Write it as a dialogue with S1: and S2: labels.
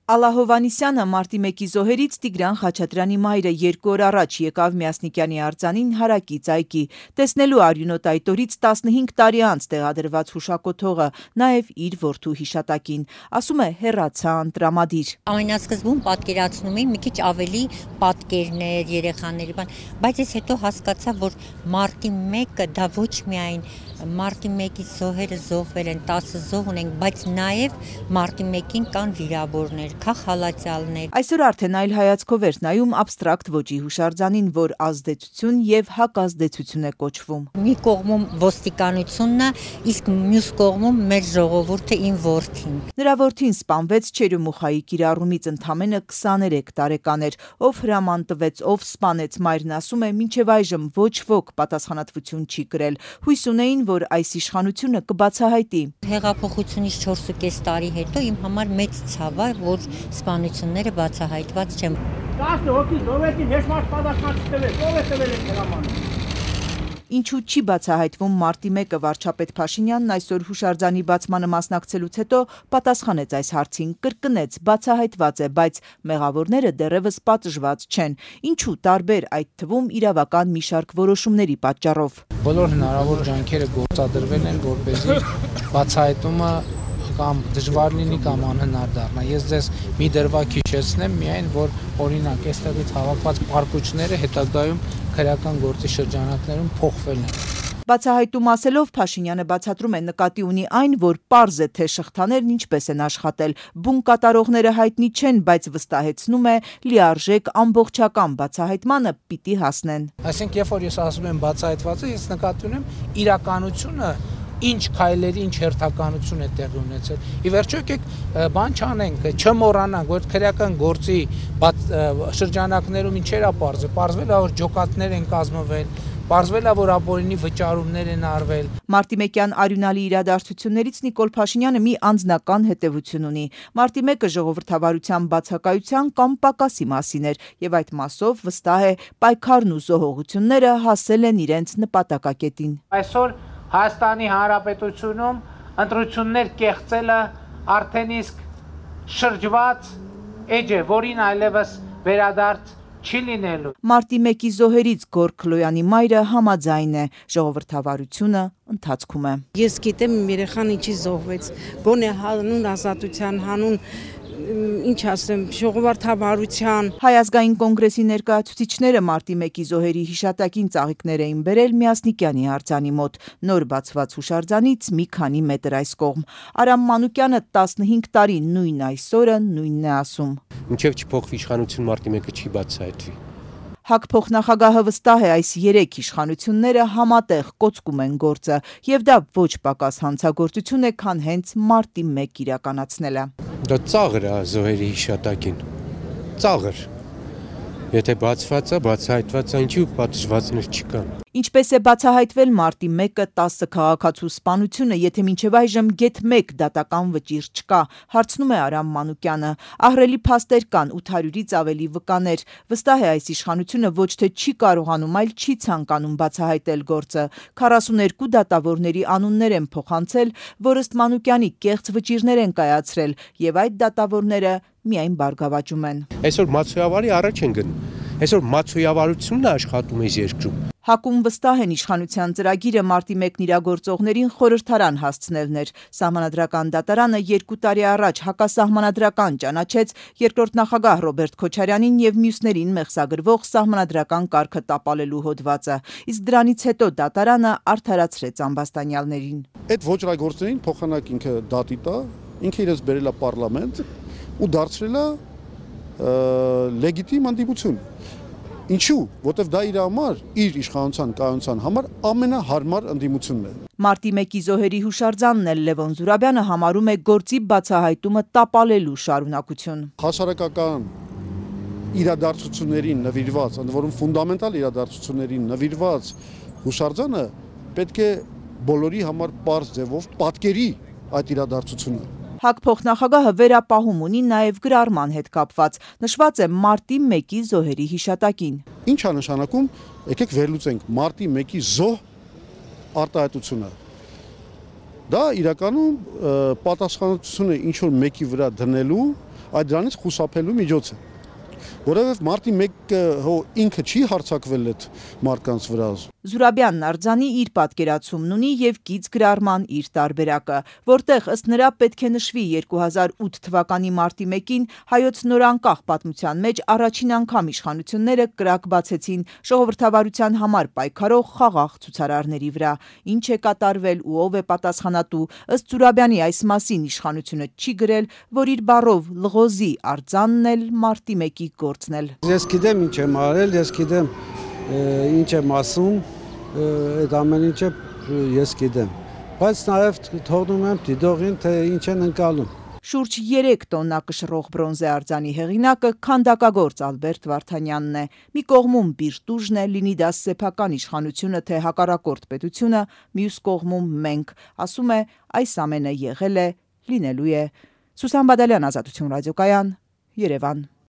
S1: Ալլա Հովհաննիսյանը մարտի 1-ի զոհերից Տիգրան Խաչատրյանի մայրը 2 օր առաջ եկավ Մյասնիկյանի արձանին հարակից այգի, տեսնելու արյունոտ այդ օրից 15 տարի անց տեղադրված հուշակոթողը, նաև իր որդու հիշատակին, ասում է հեռացա տրամադիր։
S2: Ամենասկզբում պատկերացնում էի մի քիչ ավելի պատկերներ, երեխաների բան, բայց ես հետո հասկացա, որ մարտի 1-ը դա ոչ միայն մարտի 1-ի զոհերը զոհվել են, 10 զոհ ունենք, բայց նաև մարտի 1-ին կան վիրավորներ, քաղաքալացյալներ։
S1: Այսօր արդեն այլ հայացքով էր նայում абստրակտ ոճի հուշարձանին, որ ազդեցություն եւ հակազդեցություն է կոչվում։
S2: Մի կողմում ոստիկանությունն է, իսկ մյուս կողմում մեր ժողովուրդը, իմ որդին։
S1: Նրա որդին սպանվեց Չերյոմուխայի կիրառումից ընդամենը 23 տարեկան էր, ով հրաման տվեց, ով սպանեց, մայրն ասում է, մինչև այժմ ոչ ոք պատասխանատվություն չի կրել։ Հույս ունեին, որ այս իշխանությունը կբացահայտի։
S2: Հեղափոխությունից 4.5 տարի հետո իմ համար մեծ ցավ է, որ սպանությունները բացահայտված չեն։
S3: 10 հոգի զոհվեցին, ոչ մարդ պատասխան չտվեց, ով է տվել այդ հրամանը։
S1: Ինչու չի բացահայտվում մարտի 1-ը, վարչապետ Փաշինյանն այսօր հուշարձանի բացմանը մասնակցելուց հետո պատասխանեց այս հարցին, կրկնեց, բացահայտված է, բայց մեղավորները դեռևս պատժված չեն։ Ինչու տարբեր, այդ թվում իրավական մի շարք որոշումների պատճառով։
S4: Բոլոր հնարավոր ջանքերը գործադրվել են, որպեսզի բացահայտումը կամ դժվար լինի կամ անհնար դառնա։ Ես ձեզ մի դրվագ հիշեցնեմ միայն, որ օրինակ այստեղից հավաքված պարկուճները հետագայում քրեական գործի շրջանակներում փոխվել են։
S1: Բացահայտում ասելով Փաշինյանը բացատրում է նկատի ունի այն, որ պարզ է, թե շղթաներն ինչպես են աշխատել, բուն կատարողները հայտնի չեն, բայց վստահեցնում է լիարժեք ամբողջական բացահայտմանը պիտի հասնեն։
S4: Այսինքն, երբ որ ես ասում եմ բացահայտվածը, ես նկատի ունեմ իրականությունը, ինչ քայլերի, ինչ հերթականություն է տեղի ունեցել։ Ի վերջո եկեք բան չանենք, չմոռանանք, որ քրեական գործի շրջանակներում ինչեր է պարզվել։ Պարզվել է, որ ջոկատներ են կազմվել, պարզվել է, որ ապօրինի վճարումներ են արվել։
S1: Մարտի 1-յան արյունալի իրադարձություններից Նիկոլ Փաշինյանը մի անձնական հետևություն ունի։ Մարտի 1-ը ժողովրդավարության բացակայության կամ պակասի մասին էր, եւ այդ մասով վստահ է պայքարն ու զոհողությունները հասել են իրենց նպատակակետին։
S4: Այսօր Հայաստանի Հանրապետությունում ընտրություններ կեղծելը արդեն իսկ շրջված էջ է, որին այլևս վերադարձ չի լինելու։
S1: Մարտի 1-ի զոհերից Գորգ Քլոյանի մայրը համաձայն է, ժողովրդավարությունը ընթացքում է։
S5: Ես գիտեմ իմ երեխան ինչի զոհվեց, գոնե հանուն ազատության, հանուն ինչ ասեմ, ժողովրդավարության։
S1: Հայ ազգային կոնգրեսի ներկայացուցիչները մարտի 1-ի զոհերի հիշատակին ծաղիկներ էին բերել Մյասնիկյանի արձանի մոտ, նոր բացված հուշարձանից մի քանի մետր այս կողմ։ Արամ Մանուկյանը 15 տարի նույն այսօրը նույնն է ասում։
S6: Մինչև չփոխվի իշխանություն մարտի 1-ը չի բացահայտվի։
S1: ՀԱԿ փոխնախագահը վստահ է այս 3 իշխանությունները համատեղ կոծկում են գործը, եւ դա ոչ պակաս հանցագործություն է, քան հենց մարտի 1 իրականացնելը։
S6: Դա ծաղր է զոհերի հիշատակին։ Ծաղր։ Եթե բացված է, բացահայտված է, ինչու պատժվածներ չկան։
S1: Ինչպես է բացահայտվել մարտի 1-ը 10 քաղաքացու սպանությունը, եթե մինչև այժմ գեթ 1 դատական վճիռ չկա, հարցնում է Արամ Մանուկյանը։ Ահռելի փաստեր կան, 800-ից ավելի վկաներ։ Վստահ է այս իշխանությունը ոչ թե չի կարողանում, այլ չի ցանկանում բացահայտել գործը։ 42 դատավորների անուններ են փոխանցել, որ ըստ Մանուկյանի կեղծ վճիռներ են կայացրել, եւ այդ դատավորները միայն բարգավաճում են։
S6: Այսօր մացոյավարի առաջ են գնում։ Այսօր մացոյավարությունն է աշխատում այս երկրում։
S1: ՀԱԿ-ում վստահ են իշխանության ծրագիրը մարտի 1-ն իրագործողներին խորհրդարան հասցնելն էր։ Սահմանադրական դատարանը 2 տարի առաջ հակասահմանադրական ճանաչեց երկրորդ նախագահ Ռոբերտ Քոչարյանին եւ մյուսներին մեղսագրվող սահմանադրական կարգը տապալելու հոդվածը։ Իսկ դրանից հետո դատարանը արդարացրեց ամբաստանյալներին։
S7: Այդ ոչռագործներին փոխանակ ինքը դատի տա, ինքը իրենց բերել է պարլամենտ ու դարձրել է լեգիտիմ հանդիպություն։ Ինչու, որտեվ դա իր համար, իր իշխանության կայունության համար ամենահարմար ընդդիմությունն է։
S1: Մարտի 1-ի զոհերի հուշարձանն էլ Լևոն Զուրաբյանը համարում է գործի բացահայտումը տապալելու շարունակություն։
S7: Հասարակական իրադարձություններին նվիրված, ընդ որում ֆունդամենտալ իրադարձություններին նվիրված հուշարձանը պետք է բոլորի համար պարզ ձևով պատկերի այդ իրադարձությունը։
S1: ՀԱԿ փոխնախագահը վերապահում ունի նաև գրառման հետ կապված, նշված է մարտի 1-ի զոհերի հիշատակին։
S7: Ինչ է նշանակում, եկեք վերլուծենք մարտի 1-ի զոհ արտահայտությունը։ Դա իրականում պատասխանատվությունը ինչ որ մեկի վրա դնելու այդ դրանից խուսափելու միջոց է։ Որովհետև մարտի 1-ը ինքը չի հարձակվել այդ մարդկանց վրա։
S1: Զուրաբյանն արձանի իր պատկերացումն ունի եւ գիծ գրառման իր տարբերակը, որտեղ ըստ նրա պետք է նշվի 2008 թվականի մարտի 1-ին հայոց նորանկախ պատմության մեջ առաջին անգամ իշխանությունները կրակ բացեցին ժողովրդավարության համար պայքարող խաղաղ ցուցարարների վրա։ Ինչ է կատարվել ու ով է պատասխանատու, ըստ Զուրաբյանի այս մասին իշխանությունը չի գրել, որ իր բառով լղոզի արձանն էլ մարտի 1-ի գործն էլ։
S8: Ես գիտեմ ինչ եմ արել, ես գիտեմ ինչ եմ ասում, այդ ամեն ինչը ես գիտեմ, բայց նաև թողնում եմ դիտողին, թե ինչ են ընկալում։
S1: Շուրջ 3 տոննա կշռող բրոնզե արձանի հեղինակը քանդակագործ Ալբերտ Վարդանյանն է։ Մի կողմում Բիրտուժն է, լինի դա սեփական իշխանությունը, թե հակառակորդ պետությունը, մյուս կողմում մենք, ասում է, այս ամենը եղել է, լինելու է։ Սուսան Բադալյան, Ազատություն ռադիոկայան, Երևան։